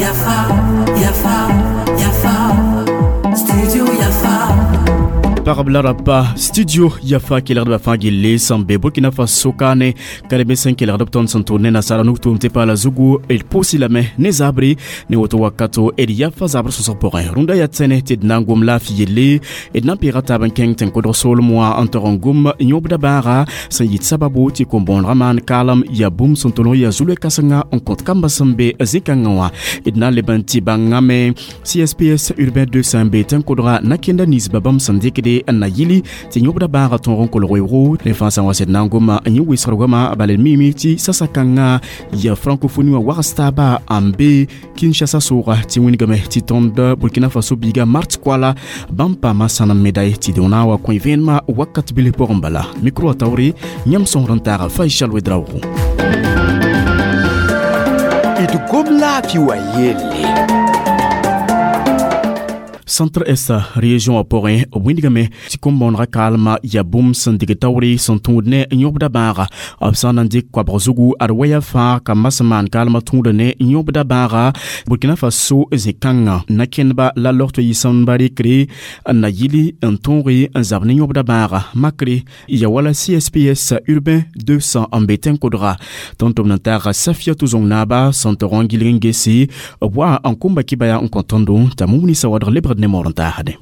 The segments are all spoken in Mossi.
Yafa, Yafa, Yafa, Studio Yafa. Pagb la rapa studio Yafa kelgdbã fãa gilli sẽn be Burkina Faso kaane kareme sẽn kelgd b tõnd sẽn tʋʋd ne nasaara nug tʋʋm tɩ paala zugu d pʋʋsi lame ne zabre ne woto wakato d Yafa zabr sõsg pʋgẽ. Rũndã yaa tẽne tɩ d na n gom laafɩ yelle, d na n peega taab n kẽng tẽn-kodg soolem wã n tog n gom yõbda bãaga sẽn yit sababu tɩ kom-bõonegã maan kaalem yaa bũmb sẽn tʋlg yaa zu-loe-kãsenga n kõt kambã sẽn be zĩ-kãngã wã. D na n leb n tɩ bãngame CSPS urbain 200 be tẽn-kodga nakẽnda ninsba bãmb sẽn dɩkde n na yili tɩ yõbda bãaga tõog n kolg weoogo. Rẽ fãa sã n wa sed na n goma n yẽ wɩsgr goama, bala d miime tɩ sasa-kãngã yaa francophonie wã wags taaba n be Kinshasa sʋʋga tɩ wĩnigame tɩ tõnd Burkina Faso biiga Mart Koala bãmb paama sãnem médaille tɩ d na n wa kõ vẽenemã wakat bilf pʋgẽ. Bala micro wã taoore yãmb sõsd n taaga Faisal Wedraogo. D gom laafɩ wã yelle. Centre Est région wã pʋgẽ, b wĩndgame tɩ kom-bõonegã kaalmã yaa bũmb sẽn dɩg taoore sẽn tũud ne yõbda bãaga. B sã n na n dɩk koabg zugu, ad waya fãa kambã sẽn maan kaalmã tũuda ne yõbda bãaga Burkina Faso zĩ-kãngã nakẽndba la logto yɩ sẽmba rɩkre n na yili n tõoge n zab ne yõbda bãaga makre ya wala CSPS urbain 200 n be tẽn-kodga. Tõnd tʋm n taaga Safiatou Zong-Naaba sẽn tog n gilg n gese b wa n komba kibaya n kõ tõndo t'a mumnisa wadg lebgd ne moor n taasde.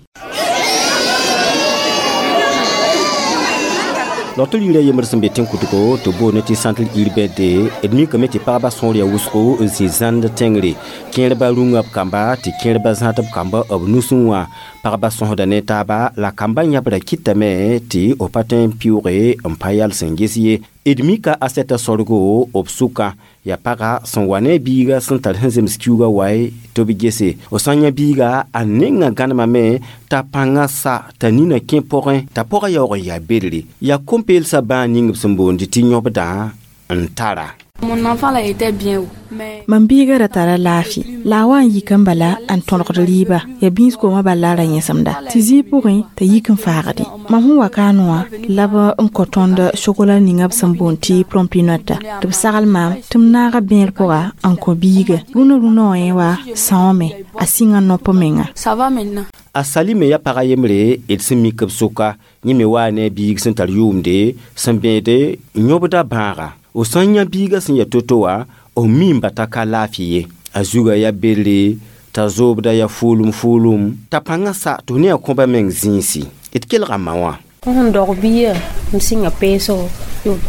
Logtr yirã yembr sẽn be tẽn-kʋtgo tɩ boond tɩ centre urbain de, d mikame tɩ pagba sõor yaa wʋsgo n zĩ zãnd tẽngre. Kẽerba rũngã b kamba tɩ kẽerba zãad b kamba b nusẽ wã. Pagba sõsda ne taaba la kambã yãbra kɩtame tɩ b pa tõe n pɩʋʋge n pa yal sẽn ges ye. D mika a sɛta sorgo b sʋka yaa paga sẽn wa ne biiga sẽn tar sẽn zems kiuugã wae tɩ b gese. B sã n yã biiga, a nengã gãnemame t'a pãngã sa t'a nina kẽ pʋgẽ t'a pʋgã yaoog n yaa bedre. Yaa kom-peelsã bãa ning b sẽn boond tɩ yõbdã n tara. Mon enfant là était bien, mais Mam biiga ra tara laafɩ la a wa n yik n bala n tõlgd rɩɩba yaa bĩis-koomã bala ra yẽsemda tɩ zĩig pʋgẽ t'a yik n faagde. Mam sẽn wa kaane wã la b n kõ tõnd sokola ninga b sẽn boond tɩ Plumpy'Nut tɩ b sagl maam tɩ m naaga bẽer pʋga n kõ biiga. Rũnã rũnã wã yẽ wa sãoome a sɩnga nop menga. Ça va maintenant. A salime yaa pag a yembre d sẽn mik b sʋka. Yẽ me waa ne a biig sẽn tar yʋʋmde sẽn bẽede yõbda bãaga. B sã n yã biigã sẽn yaa to-to wã, b miime t'a ka laafɩ ye. A zugã yaa bedre t'a zoobda yaa fʋʋlem fʋʋlem t'a pãngã sa tɩ f ne a kõba meng zĩisi. D kelga ma wã. Tõnd sẽn dog bia n sɩnga peesgo,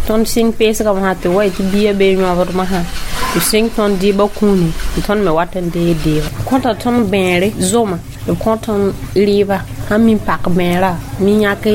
tõnd sɩng peesgame sã tɩ wa tɩ bia bee yõbdmã sã tɩ sɩng tõnd dɩɩbã kũuni tɩ tõnd me wat n deeg deeba. Kõta tõnd bẽere zoma, b kõ tõnd rɩɩba sãn mi pak bẽera mi yãk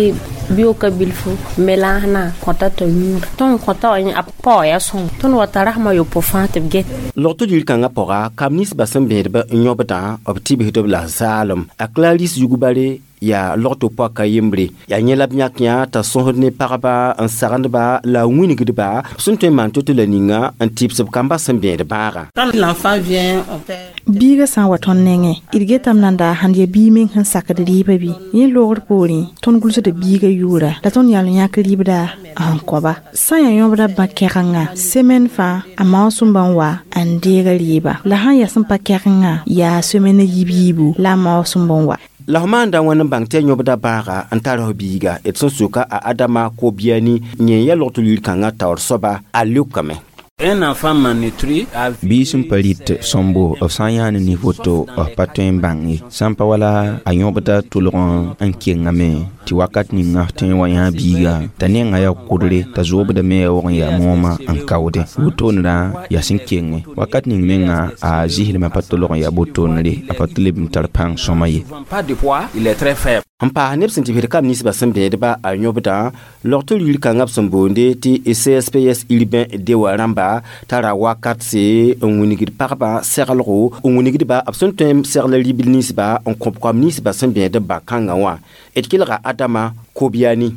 bioka bilfu melaasna kõta t'a yũuda. Tõnd kõta wa a pao yaa sõng tõnd wa tara sẽm a yopoe fãa tɩ b get. Logtr yir-kãngã pʋga kam ninsbã sẽn bẽedba n yõbdã b tɩbsd b la zaalem. A Clarisse Yugubare yaa logto poaka yembre. Yaa yẽ la b yãk yã t'a sõsd ne pagba n sagendba la a wĩnigdba b sẽn tõe n maan to-to la ninga n tɩbs b kambã sẽn bẽed bãaga. Quand l'enfant vient, on fait Biiga sã n wa tõnd nengẽ, d getame nan daa sãn yaa biig meng sẽn sakd rɩɩbã bɩ yẽ loogr poorẽ tõnd gʋlsda biigã yʋʋra la tõnd yãl n yãk rɩɩbda n kõba. Sã n yaa yõbda bã kɛgengã semaine fãa a maoosẽmba n wa n deega rɩɩba, la sãn yaa sẽn pa kɛgengã yaa semaine yiib-yiibu la a maoosẽmb n wa. La f maanda wãn n bãng tɩ yaa yõbda bãaga n tar f biiga? D sẽn soka a Adama Kobiani yẽ yaa logtr yir-kãngã taoor soaba, a leokame. Un enfant malnutri a Biis sẽn pa rɩt sõmbo, b sã n yaa ne nin-woto, b pa tõe n bãng ye. Sã n pa wala a yõbda tʋlg n kengame tɩ wakat ninga f tõe n wa yã biiga t'a nengã yaa kʋdre t'a zoobda me yaa waog n yaa moomã n kaoodẽ. Wotondrã yaa sẽn kenge wakat ning menga a zɩslmã pa tolg n yaa botoonre, a pa tɩ leb n tar pãng sõma ye. Pas de poids, il est très faible. N paas neb sẽn tɩ bɩd kam ninsbã sẽn bẽedba a yõbdã logtr yir-kãngã b sẽn boonde tɩ CSPS urbain de wã rãmba tara wakat se n wingd pagba seglgo n wingdba b sẽn tõe n segl rɩ-bil ninsba n kõb koam ninsbã sẽn bẽed b ba-kãngã wã. D kelga Adama Kobiani.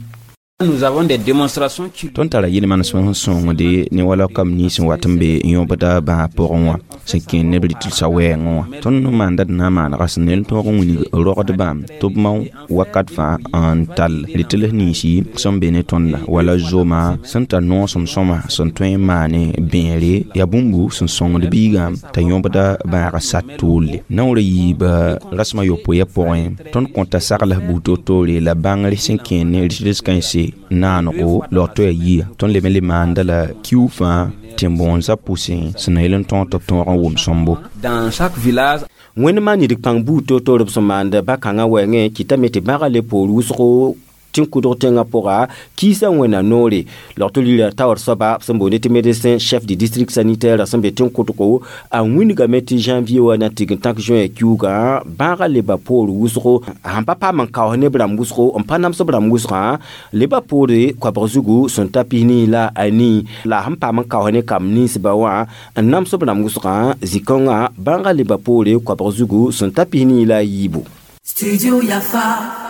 Nous avons des démonstrations qui Tõnd tara yel-manesem sẽn sõngde ne wala kam nins n wat n be yõbda bãag pʋgẽ wã sẽn kẽer neb rɩtɩlsã wɛɛngẽ wã. Tõnd maanda d na n maanega sẽn nel tõog n wilg rogdbã tɩ b mao wakat fãa n tall rɩtls ninsi sẽn be ne tõnda wala zoma sẽn tar noosem sõma sẽn tõe n maane bẽere yaa bũmbu sẽn sõngd biigã t'a yõbda bãagã sat toolle. Naoor a yiiba rasem a yopoe pʋgẽ tõnd kõta sagls buud toor-toore la bãngr sẽn kẽer ne rɩtls kãense naanego log to yaa yia tõnd leb n le maanda la kiu fãa tẽn-bõonsã pʋsẽ sẽn na yel n tõog tɩ b tõog n wʋm sõmbo. Dans chaque village, Wẽnd maan nidg pãng buud toor-toor b sẽn maand ba-kãngã wɛɛngẽ kɩtame tɩ bãagã le poor wʋsgo tẽn-kʋdg tẽngã pʋga kiisã wẽnna noore. Log-tɩ lira taoor soaba sẽn boonde tɩ médecin chef du district sanitaire sẽn be tẽn-kʋdgo a wĩnigame tɩ janvier wã na tig n tãk juin kiuugã bãagã leba poor wʋsgo sãn pa paam n kaoos neb rãmb wʋsgo n pa nams b rãmb wʋsgã leba poore koabg zugu sẽn ta pis-nii la a nii la sẽn paam n kaoos ne kamb ninsba wã n nams b rãmb wʋsgã zĩ-kãongã bãagã leba poore koabg zugu sẽn ta pis-nii la a yiibu. Studio Yafa.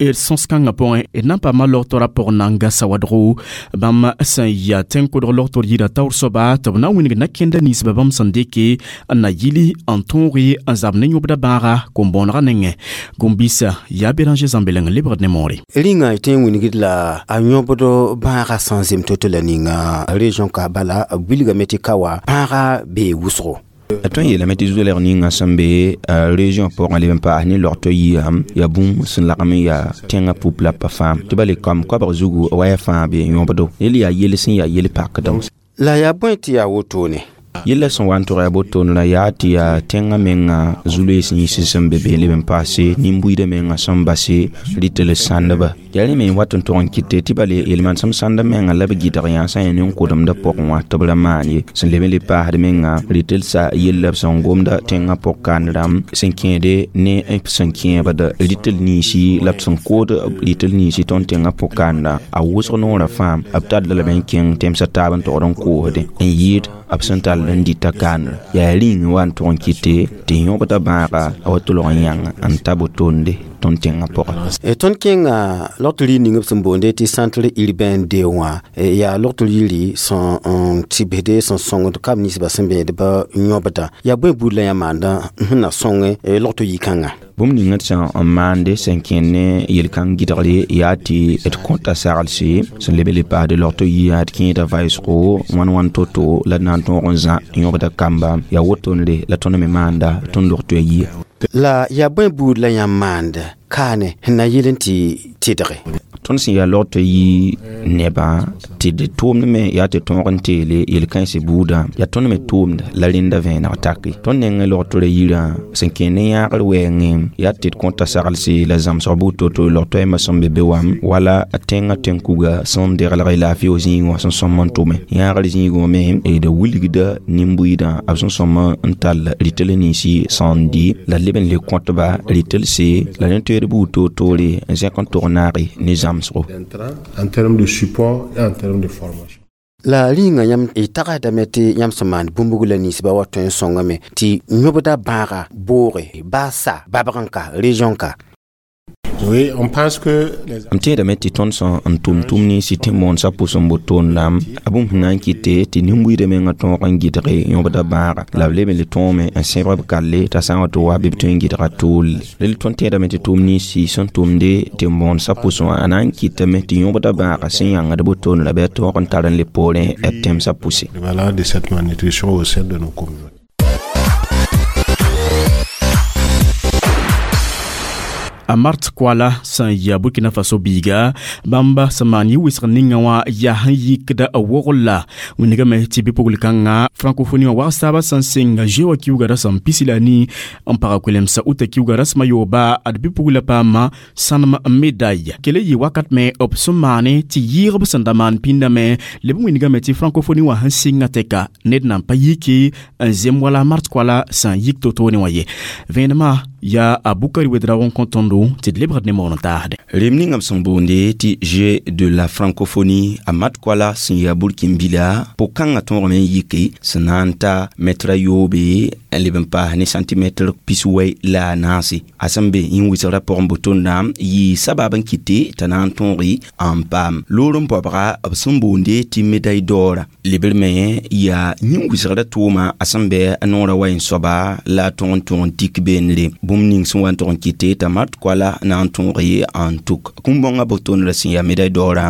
D sõs-kãngã pʋgẽ d na n paama logtora pʋg nanga sawadgo bãmb sẽn yaa tẽn-kʋdg logtor yira taoor soaba tɩ b na n wĩneg na-kẽnda ninsbã bãmb sẽn dɩke n na yili n tõoge n zab ne yõbda bãaga kom-bõonegã nengẽ gom-biisã yaa Béranger Zãmbeleng lebgd ne moore. Rĩngã y tõe n wingd la a yõbd bãagã sẽn zem to-to la ninga région ka bala b wilgame tɩ ka wa bãaga bee wʋsgo. Tõnd yeelame tɩ zoelg ninga sẽn be région pʋgẽ leb n paas ne log-to yia yaa bũmb sẽn lagm n yaa tẽngã pup la pa fãa tɩ ba le kam koabg zugu waya fãa be yõbdo yel yaa yel sẽn yaa yel pakdem. La yaa bõe tɩ yaa wotone? Yella sẽn wa n tʋg yaa botoonra yaa tɩ yaa tẽngã menga zu-loees yĩns sẽn be be leb n paase nin-buiidã menga sẽn base rɩtl sãndba yaa rẽ me n wat n tʋg n kɩte tɩ bale yel-manesem sãnd menga la b gɩdg yã sã n yaa nin-kʋdemdã pʋgẽ wã tɩ b ra maan ye sẽn leb n le paasd menga rɩtlsa yella b sẽn gomda tẽngã pʋg kandrãmb sẽn kẽede ne b sẽn kẽebd rɩtl ninsi la b sẽn kood rɩtl ninsi tõnd tẽngã pʋg kandrã a wʋsg noorã fãa b tall lame n kẽng tẽmsã taab n togd n koosde n yɩɩd b sẽn tall n dɩta kandrã yaa rĩng wa n tʋg n kɩte tɩ yõbda bãaga a wa tʋlg n yãng n ta botonde tõnd tẽngã pʋgã. Tõnd kẽnga logtr yir ning b sẽn boonde tɩ centre urbain de wã yaa logtr yiri sẽn n tɩbsde sẽn sõngd kam ninsbã sẽn bẽedbã yõbdã yaa bõe buud la yã maandã sẽn na sõngẽ logtr yikãngã. Bũmb ninga d sẽn n maande sẽn kẽnd ne yel-kãng gɩdgre yaa tɩ d kõta saglse sẽn leb n le paasd log-to yia d kẽeda vaɩsgo wãn-wãn to-to la d na n tõog n zã yõbda kamba yaa wotonre la tõnd me maanda tõnd log-to yia. La yaa bõe buud la yãmb maanda kaane sẽn na yɩl n tɩ tɩdge? Tõnd sẽn yaa log tɩ yɩ nebã tɩ d tʋʋmd me yaa tɩ tõog n teele yel-kãensã buudã yaa tõnd me tʋʋmd la rẽnda vẽeneg take tõnd nengẽ log tɩ ra yirã sẽn kẽer ne yãagr wɛɛngẽ yaa tɩ d kõta saglse la zãmsg buud to-to log tɩ a sẽn be be wam wala a tẽngã tẽn-kuga sẽn deglg laafɩ zĩigẽ wã sẽn sõm n tʋme yãagr zĩigẽ me d wilgda nin-buiidã b sẽn sõm n tall rɩtl ninsi sẽn dɩ la leb n le kõtba rɩtlse la rẽ toeed buud toor-toore n zẽk n tog naage ne zãmsgo. En termes de support et en termes de formation. La rĩnga yãmb y tagsdame tɩ yãmb sẽn maan bũmb la ninsbã wa tõe n sõngame tɩ yõbda bãaga booge baa sa babg n ka région ka. Oui, on pense que les M tẽedame tɩ tõnd sẽn n tʋm tʋm ninsi tẽn-bõonsã pʋs n botoon lam a bũmb sẽn na n kɩte tɩ nin-buiidã mengã tõog n gɩdge yõbda bãaga la b leb n le tõome n sẽbg b kalle t'a sã n wa tɩ wa bɩ b tõe n gɩdga toolle rel tõnd tẽedame tɩ tʋm ninsi sẽn tʋmde tẽn-bõonsã pʋsẽ wã a na n kɩtame tɩ yõbda bãaga sẽn yãngd botoon la bɩ a tõog n tar n le poorẽ b tẽmsã pʋse. Voilà de cette malnutrition au sein de nos communautés. A mart koala sẽn yaa Burkina Faso biiga bãmba sẽn maan yɩ wɩsg ninga wã yaa sẽn yikda a wogl la wĩnigame tɩ bɩ-pugl-kãngã francophonie wã wags taabã sẽn sɩng zoe wã kiuga rasem pisi la nii n paga kolemsa uta kiuga rasmã yooba ad bɩ-pugla paama sãnem médaille kele yɩ wakat me b sẽn maane tɩ yɩɩgb sẽn da maan pĩndame leb n wĩnigame tɩ francophonie wã sẽn sɩngã tɛka ned nan pa yiki n zem wala mart koala sẽn yik to-toone wã ye vẽenemã Yaa a Bukari Wedraogo n kõ tõndo tɩ d lebgd ne moon n taasdẽ. Rem ninga b sẽn boonde tɩ Jeux de la francophonie, a mat koala sẽn yaa Burkinbila po-kãngã tõogame n yike sẽn na n ta mɛtra yoobe n leb n paas ne santimɛtr 94. A sẽn be yĩn-wɩsgrã pʋgẽ botonda yɩ sabab n kɩte t'a na n tõoge n paam loor n paobga b sẽn boonde tɩ médaille d'or. Lebr me yaa yĩn-wɩsgrã tʋʋma a sẽn bɩ a noorã wa n soaba la a tõg n tõg n tik beenre. Bũmb ning sẽn wa n tʋg n kɩte t'a mat koala na n tõoge n tuk kũm-bõngã botondrã sẽn yaa médaille d'or a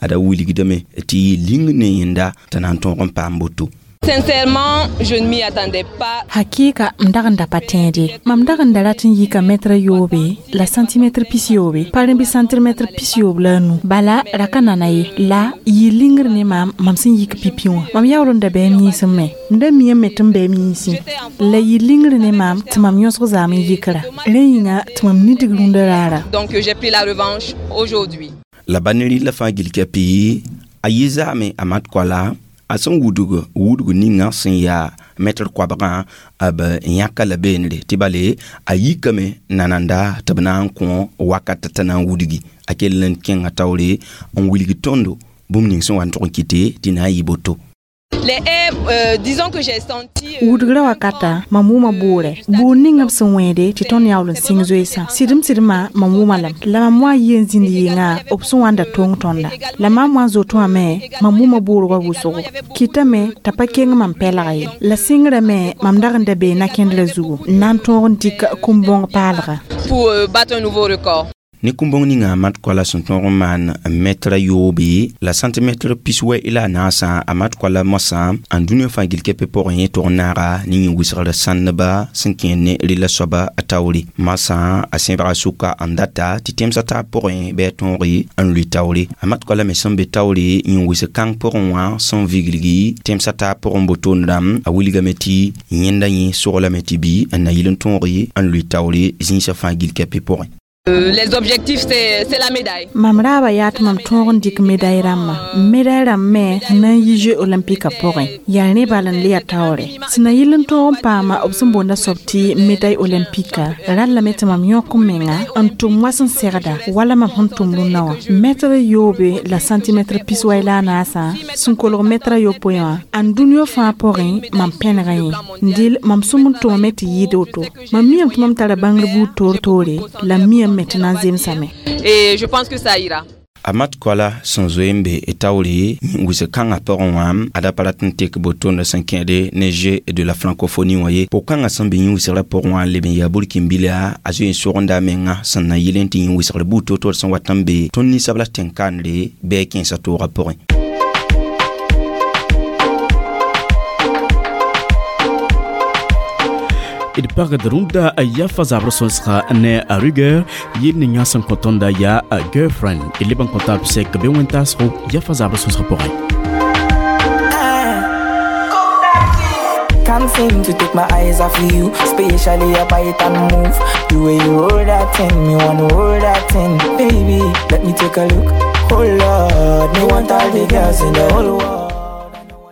da wilgdame tɩ yɩ ling ne yẽnda t'a na n tõog n paam boto. Sincèrement, je ne m'y attendais pas. Hakika m dag n da pa tẽede. Mam dag n da rat n yika mɛtra yoobe la santimɛtr 90, pa rẽ bɩ santimɛtr 95. Bala ra ka nana ye, la yɩ lingr ne maam mam sẽn yik pipi wã. Mam yaool n da bɩ m yĩnsẽ me, m da miame tɩ m bɩ m yĩnsẽ, la yɩ lingr ne maam tɩ mam yõsg zaam n yikra. Rẽ yĩnga tɩ mam nidig rũndã raara. Donc j'ai pris la revanche aujourd'hui. La ba ne rɩla fãa gil kɛpɩ a yɩ zaame a mat koala a sẽn wudg wudg ninga sẽn yaa mɛtr koabgã b yãka la beenre tɩ bale a yikame nananda tɩ b na n kõ wakat t'a na n wudgi a kell n kẽnga taoore n wilg tõndo bũmb ning sẽn wa n tʋg n kɩte tɩ na n yɩ boto. Les haies, disons que j'ai senti. Wudgrã wakata mam wʋma boorɛ, boor ninga b sẽn wẽede tɩ tõnd yaool n sɩng zoeesã. Sɩdem sɩdmã mam wʋma lame, la mam wa n yɩ n zĩnd yɩngã b sẽn wa n da tong tõnda. La maam wa n zoet wã me mam wʋma boorgã wʋsgo, kɩtame t'a pa keng mam pɛlga ye. La sɩngrã me mam dag n da bee nakẽndrã zugu n na n tõog n dɩk kũm-bõng paalga. Pour battre un nouveau record. Ne kũm-bõng ninga a mat koala sẽn tõog n maan mɛtra yoobe la santimɛtr 94 a mat koala moasã n dũniyã fãa gil kɛpɛ pʋgẽ yẽ tʋg n naaga ne yĩn-wɩsgr sãndba sẽn kẽer ne rela soaba a taoore. Masã a sẽbga sʋka n data tɩ tẽmsã taab pʋgẽ bɩ a tõoge n lʋɩ taoore. A mat koala me sẽn be taoore yĩn-wɩsg kãng pʋgẽ wã sẽn viglgi tẽmsã taab pʋgẽ botondrã a wilgame tɩ yẽnda yẽ soglame tɩ bɩ n na yɩl n tõoge n lʋɩ taoore zĩisã fãa gil kɛpɛ pʋgẽ. Les objectifs, c'est la médaille. Mam raaba yaa tɩ mam tõog n dɩk médaille rãmbã. Médaille rãmb me sẽn na n yi Jeux olympique pʋgẽ yaa rẽ bal n le ya taoore. Sẽn na yɩl n tõog n paama b sẽn boonda soab tɩ médaille olympique rallame tɩ mam yõk n menga n tʋm wa sẽn segda wala mam sẽn tʋm rũnnã wã. Mɛtr yoobe la santimɛtr 94 sẽn kolg mɛtra yopoe wã ãn dũniyã fãa pʋgẽ mam pẽnega yẽ. Dɩl mam sũm n tʋmame tɩ yɩɩd woto. Mam miame tɩ mam tara bãngr buud toor-toore la m miame tɩ na n zemsame. Et je pense que ça ira. A mat koala sẽn zoe n be taoore wɩsg kãngã pʋgẽ wã a da pa rat n tek botondã sẽn kẽede ne Jeux de la francophonie wã ye. Po-kãngã sẽn be yĩn-wɩsgrã pʋgẽ wã n leb n yaa Burkinbila a zoe n sogenda a menga sẽn na yɩl n tɩ yĩn-wɩsgr buud toor-toor sẽn wat n be tõnd ninsabla tẽn-kandre bɩ a kẽensã toogã pʋgẽ. D pagd rũndã Yafa zabr sõsga ne a rigueur yel ninga sẽn kõ tõnda yaa a Girlfriend. D leb n kõ taab sɛk be wẽn-taasgo Yafa zabr sõsg pʋgẽ. Can't seem to take my eyes off of you, spatially your bite and move. The way you roll that thing, me wanna roll that thing. Baby, let me take a look. Oh Lord, me want all the girls in the whole world.